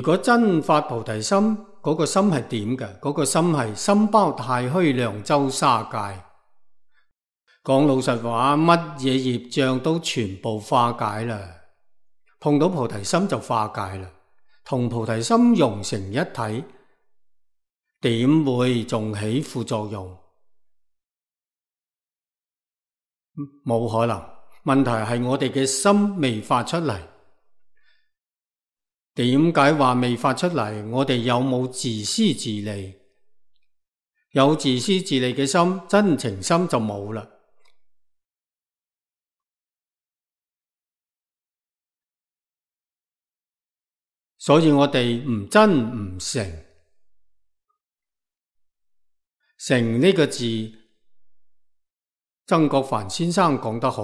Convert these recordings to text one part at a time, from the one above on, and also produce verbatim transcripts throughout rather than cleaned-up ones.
果真發菩提心，嗰、那個心係點嘅？嗰、那個心係心包太虛量周沙界。講老實話，乜嘢業障都全部化解啦。碰到菩提心就化解啦，同菩提心融成一體，點會仲起副作用？冇可能。問題係我哋嘅心未發出嚟。點解話未發出嚟？我哋有冇自私自利？有自私自利嘅心，真情心就冇啦。所以我哋唔真唔誠。誠呢個字，曾國藩先生講得好，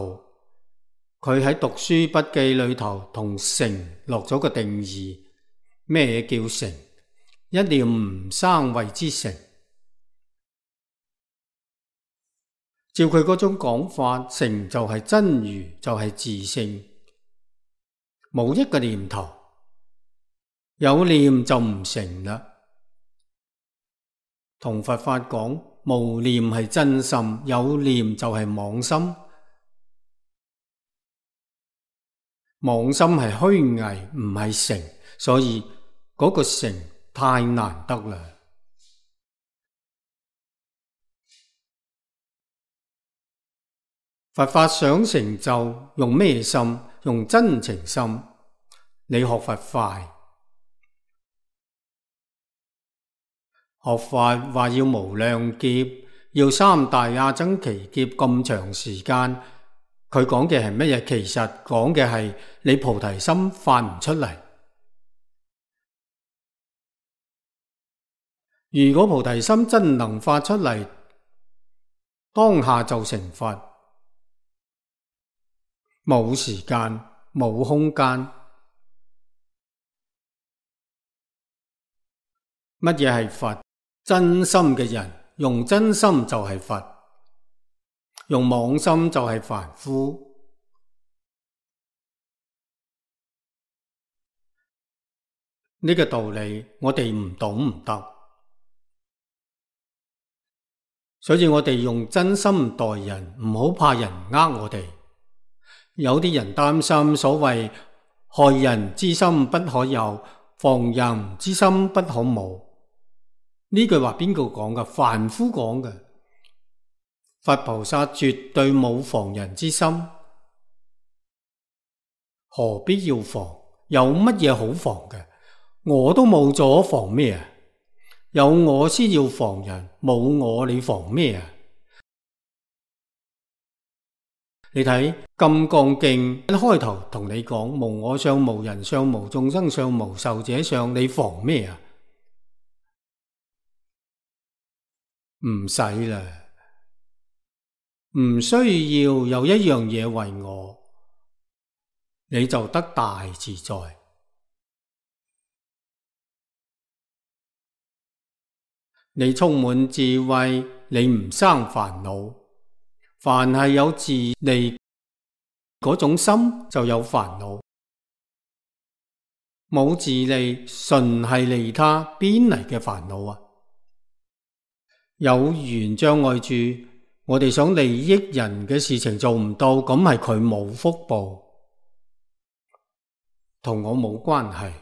佢喺讀書筆記裏頭同誠落咗個定義。咩叫誠？一念唔生謂之誠。照佢嗰種講法，誠就係真如，就係自性，冇一個念頭，有念就唔誠啦。同佛法講，無念係真心，有念就係妄心。妄心係虛偽，唔係誠，所以嗰個誠太難得啦。佛法想成就，用咩心？用真情心。你學佛快，學法話要無量劫，要三大阿僧祇劫咁長時間。佢講嘅係乜嘢？其實講嘅係你菩提心發唔出嚟。如果菩提心真能發出嚟，當下就成佛。冇時間，冇空間。乜嘢係佛？真心嘅人用真心就係佛，用妄心就係凡夫。呢個道理我哋唔懂唔得，所以我哋用真心待人，唔好怕人呃我哋。有啲人擔心所謂害人之心不可有，防人之心不可無。呢句話邊個講㗎？凡夫講嘅。佛菩薩絕對冇防人之心，何必要防？有乜嘢好防嘅？我都冇咗，防咩啊？有我先要防人，冇我你防咩啊？你睇《金剛經》一開頭同你講無我相、無人相、無眾生相、無壽者相，你防咩啊？唔使啦，唔需要有一樣嘢為我，你就得大自在。你充滿智慧，你唔生煩惱。凡係有自利嗰種心，就有煩惱。冇自利，純係利他，邊嚟嘅煩惱啊？有緣障礙住，我哋想利益人嘅事情做唔到，咁係佢冇福報，同我冇關係。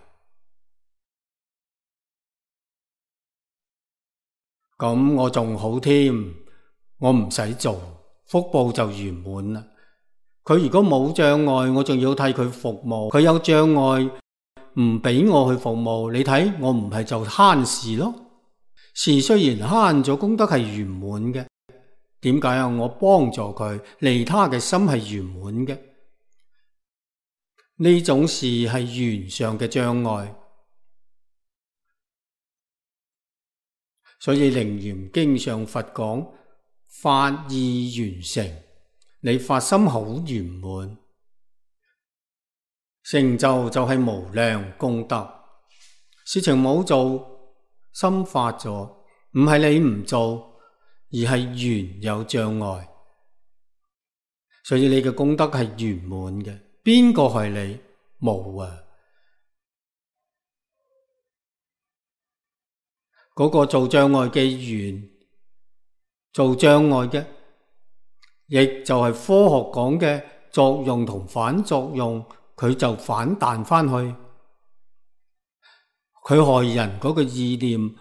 咁我仲好添，我唔使做，福報就圓滿啦。佢如果冇障礙，我仲要替佢服務；佢有障礙，唔俾我去服務，你睇我唔係就慳事咯。事雖然慳咗，功德係圓滿嘅。點解啊？我幫助佢，利他嘅心係圓滿嘅。呢種事係緣上嘅障礙。所以《楞嚴經》上佛講發意圓成，你發心好圓滿，成就就係無量功德。事情冇做，心發咗，唔係你唔做，而係緣有障礙。所以你嘅功德係圓滿嘅。邊個害你？冇啊！嗰個做障礙嘅緣，做障礙嘅，亦就係科學講嘅作用同反作用，佢就反彈返去，佢害人嗰個意念，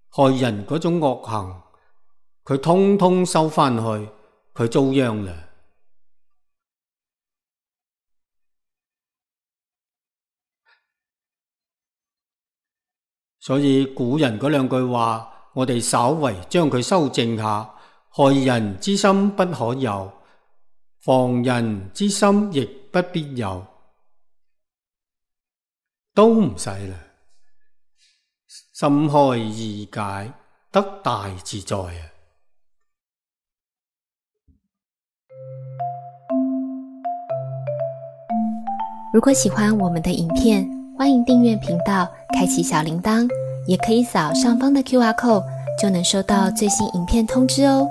害人嗰種惡行，佢通通收返去，佢遭殃啦。所以古人嗰兩句話，我哋稍為將佢修正下，害人之心不可有，防人之心亦不必有，都唔使啦。心開意解，得大自在啊！如果喜歡我們的影片，歡迎訂閱頻道，開啟小鈴鐺，也可以掃上方的 Q R code，就能收到最新影片通知哦。